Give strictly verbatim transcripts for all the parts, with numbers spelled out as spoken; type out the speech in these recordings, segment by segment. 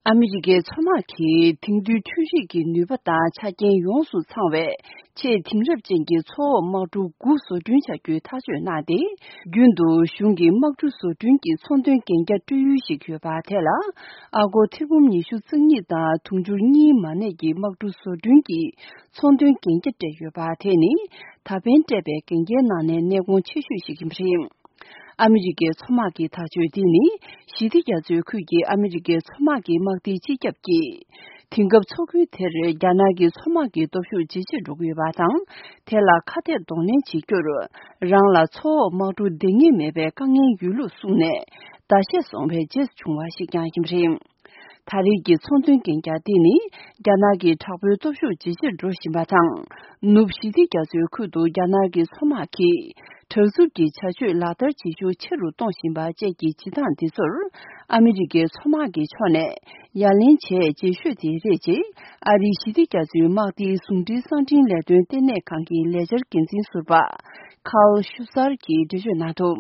ཨ་མི་རི་ཀའི་མཚོ་དམག་གིས་དེང་དུས་འཕྲུལ་རིག་གི་ནུས་པ་དང་ཆ་རྐྱེན་ཡོངས་སུ་ཚང་བའི་ཆེས་དེང་རབས་ཅན་གྱི་མཚོ་འོག་དམག་གྲུ་དགུ་བཟོ་སྐྲུན་བྱ་རྒྱུའི་ཐག་གཅོད་གནང་སྟེ། རྒྱུན་དུ་གཞུང་གི་དམག་གྲུ་བཟོ་སྐྲུན་གྱི་ཚོང་དོན་གན་རྒྱ་སྤྲོད་ཡུལ་ཞིག་ཡོད་པ་དེ་ལ། ཨ་སྒོར་ཐེར་འབུམ་ཉི་ཤུ་རྩ་གཉིས་དང་དུང་ཕྱུར་གཉིས་མ་གནས་ཀྱི་དམག་གྲུ་བཟོ་སྐྲུན་གྱི་ཚོང་དོན་གན་རྒྱ་སྤྲད་ཡོད་པ་དེ་ནི། ད་ཕན་སྤྲད་པའི་གན་རྒྱའི་ནང་ནས་གནད་འགག་ཆེ་ཤོས་ཤིག་ཡིན་པ་རེད། ཨ་མི་རི་ཀའི་མཚོ་དམག་གི་ཐག་གཅོད་འདི་ནི། ཞི་བདེ་རྒྱ་མཚོའི་ཁུལ་གྱི་ཨ་མི་རི་ཀའི་མཚོ་དམག་གི་དམག་སྡེའི་སྤྱི་ཁྱབ་ཀྱིས། དེང་སྐབས་མཚོ་ཁུལ་དེར་རྒྱ་ནག་གི་མཚོ་དམག་གི་སྟོབས་ཤུགས་ཇེ་ཆེར་འགྲོ་གི་ཡོད་པ་དང་། དེ་ལ་ཁ་གཏད་གདོང་ལེན་བྱེད་རྒྱུར། རང་ལ་མཚོ་འོག་དམག་གྲུ་འདང་ངེས་མེད་པའི་དཀའ་ངལ་ཡོད་ལུགས་གསུངས་ནས། ཟླ་ཤས་སོང་བའི་རྗེས་བྱུང་བ་ཞིག་ཀྱང་ཡིན་པ་རེད། ད་རེས་ཀྱི་ཚོང་དོན་གན་རྒྱ་འདི་ནི། རྒྱ་ནག་གི་དྲག་པོའི་སྟོབས་ཤུགས་ཇེ་ཆེར་འགྲོ་བཞིན་པ་དང་། ནུབ་ཞི་བདེ་རྒྱ་མཚོའི་ཁུལ་དུ་རྒྱ་ནག་གི་མཚོ་དམག་གིས། དྲག་རྩུབ་ཀྱི་བྱ་སྤྱོད་ལག་བསྟར་བྱེད་ཤུགས་ཆེ་རུ་གཏོང་བཞིན་པ་བཅས་ཀྱི་བྱེད་སྟངས་འདི་ཚོར། ཨ་མི་རི་ཀའི་མཚོ་དམག་གི་ཕྱོགས་ནས། ཡ་ལན་བྱས་རྗེས་ཤོས་དེ་རེད་ཅེས། ཨ་རིའི་ཞི་བདེ་རྒྱ་མཚོའི་དམག་སྡེའི་ཟུང་འབྲེལ་གསང་འཕྲིན་ལས་དོན་ལྟེ་གནས་ཁང་གི་ལས་འཆར་འགན་འཛིན་ཟུར་པ། ཁཱལ་ཤུ་སར་གྱིས་འགྲེལ་བརྗོད་གནང་འདུག་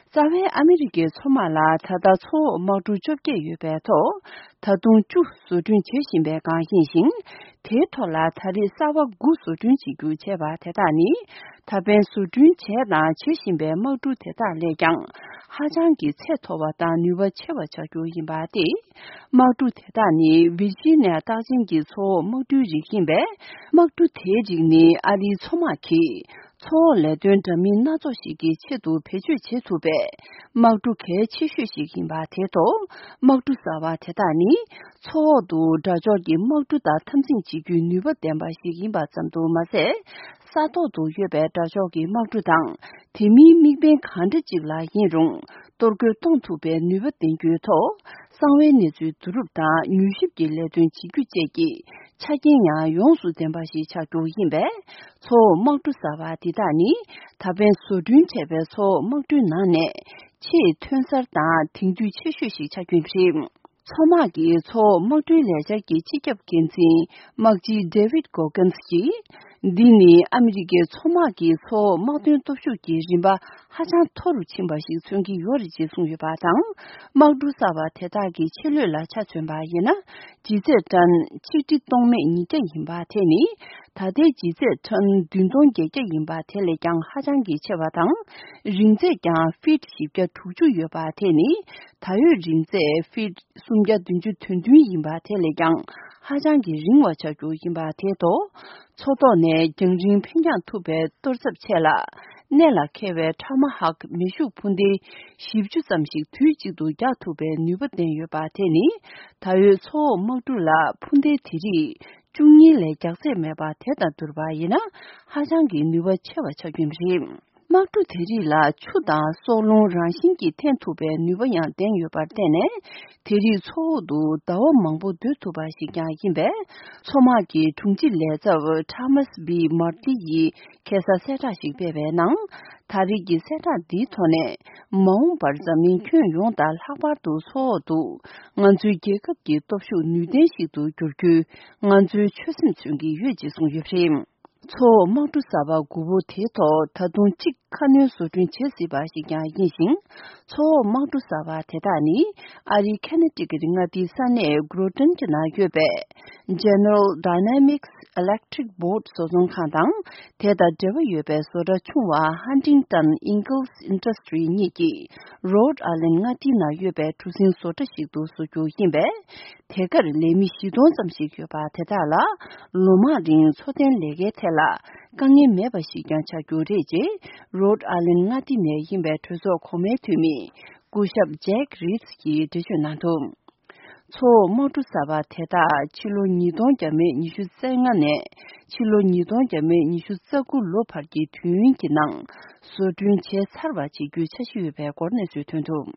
རྩ་བའི་ཨ་མི་རི་ཀའི་མཚོ་དམག་ལ་ད་ལྟ་མཚོ་འོག་དམག་གྲུ་བཅོ་བརྒྱད་ཡོད་པའི་ཐོག་ད་དུང་བཅུ་བཟོ་སྐྲུན་བྱེད་བཞིན་པའི་སྒང་ཡིན་ཞིང་། དེའི་ཐོག་ལ་ད་རེས་གསར་པ་དགུ་བཟོ་སྐྲུན་བྱེད་རྒྱུ་བྱས་པ་དེ་དག་ནི། ད་ཕན་བཟོ་སྐྲུན་བྱས་དང་བྱེད་བཞིན་པའི་དམག་གྲུ་དེ་དག་ལས་ཀྱང་ཧ་ཅང་གི་ཚད་མཐོ་བ་དང་ནུས་པ་ཆེ་བ་ཆགས་རྒྱུ་ཡིན་པ་སྟེ། དམག་གྲུ་དེ་དག་ནི་ཝིར་ཇི་ནི་ཡ་རྟགས་ཅན་གྱི་མཚོ་འོག་དམག་གྲུའི་རིགས་ཡིན་པས། དམག་གྲུ་དེའི་རིགས་ནི་ཨ་རིའི་མཚོ་དམག་གིས། མཚོ་འོག་ལས་དོན་འདྲ་མིན་སྣ་ཚོགས་ཤིག་གི་ཆེད་དུ་བེད་སྤྱོད་བྱེད་ཐུབ་པའི་དམག་གྲུ་གལ་ཆེ་ཤོས་ཤིག་ཡིན་པ་དེ་ཐོག་དམག་གྲུ་གསར་བ་དེ་དག་ནི་མཚོ་འོག་ཏུ་དགྲ་ཕྱོགས་ཀྱི་དམག་གྲུ་དང་འཐབ་འཛིང་བྱེད་རྒྱུའི་ནུས་པ་ལྡན་པ་ཞིག་ཡིན་པ་ཙམ་དུ་མ་ཟད། ས་ཐོག་ཏུ་ཡོད་པའི་དགྲ་ཕྱོགས་ཀྱི་དམག་གྲུ་དང་དེ་མིན་དམིགས་འབེན་གང་འདྲ་ཅིག་ལ་ཡིན་རུང་གཏོར་རྒོལ་གཏོང་ཐུབ་པའི་ནུས་པ་ལྡན་རྒྱུའི་ཐོག་གསང་བའི་གནས་ཚུལ་བསྡུ་རུབ་དང་མྱུལ་ཞིབ་ཀྱི་ལས་དོན་བྱེད་རྒྱུ་བཅས་ཀྱི་ཆ་རྐྱེན་ཡང་ཡོངས་སུ་ལྡན་པ་ཞིག་ཆགས་རྒྱུ་ཡིན་པས། མཚོ་འོག་དམག་གྲུ་གསར་པ་འདི་དག་ནི་ད་ཕན་བཟོ་སྐྲུན་བྱས་པའི་མཚོ་འོག་དམག་གྲུའི་ནང་ནས་ཆེས་ཐོན་གསར་དང་དེང་དུས་ཆེ་ཤོས་ཤིག་ཆགས་རྒྱུ་རེད། མཚོ་དམག་གི་མཚོ་འོག་དམག་གྲུའི་ལས་འཆར་གྱི་སྤྱི་ཁྱབ་འགན་འཛིན་དམག་སྤྱི་David Goggins་གྱིས། འདི་ནི་ཨ་མི་རི་ཀའི་མཚོ་དམག་གི་མཚོ་འོག་དམག་དོན་སྟོབས་ཤུགས་ཀྱི་རིམ་པ་ཧ་ཅང་མཐོ་རུ་ཕྱིན་པ་ཞིག་མཚོན་གྱི་ཡོད་རེད་ཅེས་གསུངས་ཡོད་པ་དང་། དམག་གྲུ་གསར་པ་དེ་དག་གི་ཕྱི་ལོད་ལ་ཆ་མཚོན་པ་ཡིན་ན། ལྗིད་ཚད་ཊོན་ཆིག་ཁྲི་སྟོང་མེད་ཉིས་བརྒྱ་ཡིན་པ་དེ་ནི། ད་ལྟའི་ལྗིད་ཚད་ཊོན་བདུན་སྟོང་བརྒྱད་བརྒྱ་ཡིན་པ་དེ་ལས་ཀྱང་ཧ་ཅང་གི་ཆེ་བ་དང་། རིང་ཚད་ཀྱང་ཕིཊ་བཞི་བརྒྱ་དྲུག་ཅུ་ཡོད་པ་དེ་ནི། ད་ཡོད་རིང་ཚད་ཕིཊ་སུམ་བརྒྱ་བདུན་ཅུ་དོན་བདུན་ཡིན་པ་དེ་ལས་ཀྱང་ཧ་ཅང་གི་རིང་བ་ཆགས་རྒྱུ་ཡིན་པ་དེ་ཐོག་མཚོ་ཐོག་ནས་རྒྱང་རིང་འཕེན་རྒྱང་ཐུབ་པའི་གཏོར་ཚབ་ཆེད་ལ། གནད་ལ་འཁེལ་བའི་ཊ་མ་ཧོག་མེ་ཤུགས་འཕུར་མདེལ་བཞི་བཅུ་ཙམ་ཞིག་དུས་གཅིག་ཏུ་རྒྱག་ཐུབ་པའི་ནུས་པ་ལྡན་ཡོད་པ་དེ་ནི། ད་ཡོད་མཚོ་འོག་དམག་གྲུ་ལ་འཕུར་མདེལ་དེ་རིགས་བཅུ་གཉིས་ལས་རྒྱག་ཚད་མེད་པ་དེ་དང་བསྡུར་བ་ཡིན་ན། ཧ་ཅང་གི་ནུས་པ་ཆེ་བ་ཆགས་རྒྱུ་རེད། དམག་གྲུ་དེ་རིགས་ལ་ཆུ་དང་སྲོག་རླུང་རང་བཞིན་གྱིས་འཐེན་ཐུབ་པའི་ནུས་པ་ཡང་ལྡན་ཡོད་པར་བརྟེན་ནས། དེ་རིགས་མཚོ་འོག་ཏུ་ཟླ་བ་མང་པོ་སྡོད་ཐུབ་པ་ཞིག་ཀྱང་ཡིན་པས། མཚོ་དམག་གི་དྲུང་ཆེ་ལས་ཚབ་Thomas B Martey་ཡིས་ཁ་སང་གསལ་བསྒྲགས་ཤིག་སྤེལ་བའི་ནང་། ད་རེས་ཀྱི་གསལ་བསྒྲགས་འདིའི་ཐོག་ནས། མ་འོངས་པར་འཛམ་གླིང་ཁྱོན་ཡོངས་དང་ལྷག་པར་དུ་མཚོ་འོག་ཏུ་ང་ཚོའི་རྒྱལ་ཁབ་ཀྱི་སྟོབས་ཤུགས་ནུས་ལྡན་ཞིག་ཏུ་འགྱུར་རྒྱུའི་ང་ཚོའི་ཆོད་སེམས་མཚོན་གྱི་ཡོད་ཅེས་གསུངས་ཡོད་པ་རེད། མཚོ་འོག་དམག་གྲུ་གསར་པ་དགུ་པོ་དེའི་ཐོག་ད་དུང་གཅིག་ཁ་སྣོན་བཟོ་སྐྲུན་བྱེད་སྲིད་པ་ཞིག་ཀྱང་ཡིན་ཞིང་། མཚོ་འོག་དམག་གྲུ་གསར་པ་དེ་དག་ནི་ཨ་རིའི་ཁེ་ནེ་ཊི་ཀེ་ཊི་མངའ་སྡེའི་ས་གནས་Groton་གྱི་ནང་ཡོད་པའི་General Dynamics Electric Boat་བཟོ་ཚོང་ཁང་དང་། དེ་དང་འབྲེལ་བ་ཡོད་པའི་བཟོ་གྲྭ་ཆུང་བ་Huntington Ingalls Industries་གཉིས་ཀྱིས་Rhode Island་མངའ་སྡེའི་ནང་ཡོད་པའི་གྲུ་གཟིངས་བཟོ་གྲྭ་ཞིག་ཏུ་བཟོ་རྒྱུ་ཡིན་པས། དེ་གར་ལས་མི་བཞི་སྟོང་ཙམ་ཞིག་ཡོད་པ་དེ་དག་ལ་ལོ་མང་རིང་འཚོ་རྟེན་ལས་ཀའི་ཐད་ལ་དཀའ་ངལ་མེད་པ་ཞིག་ཀྱང་ཆགས་རྒྱུ་རེད་ཅེས་Rhode Island་མངའ་སྡེ་ནས་ཡིན་པའི་གྲོས་ཚོགས་གོང་མའི་འཐུས་མི་སྐུ་ཞབས་Jack Reed་གྱིས་འགྲེལ་བརྗོད་གནང་འདུག་མཚོ་འོག་དམག་གྲུ་གསར་པ་དེ་དག་ཕྱི་ལོ་ཉིས་སྟོང་བརྒྱ་མེད་ཉི་ཤུ་རྩ་ལྔ་ནས་ཕྱི་ལོ་ཉིས་སྟོང་བརྒྱ་མེད་ཉི་ཤུ་རྩ་དགུ་ལོ་བར་གྱི་དུས་ཡུན་གྱི་ནང་བཟོ་སྐྲུན་བྱས་ཚར་བ་བྱེད་རྒྱུའི་འཆར་གཞི་ཡོད་པའི་སྐོར་གནས་ཚུལ་ཐོན་འདུག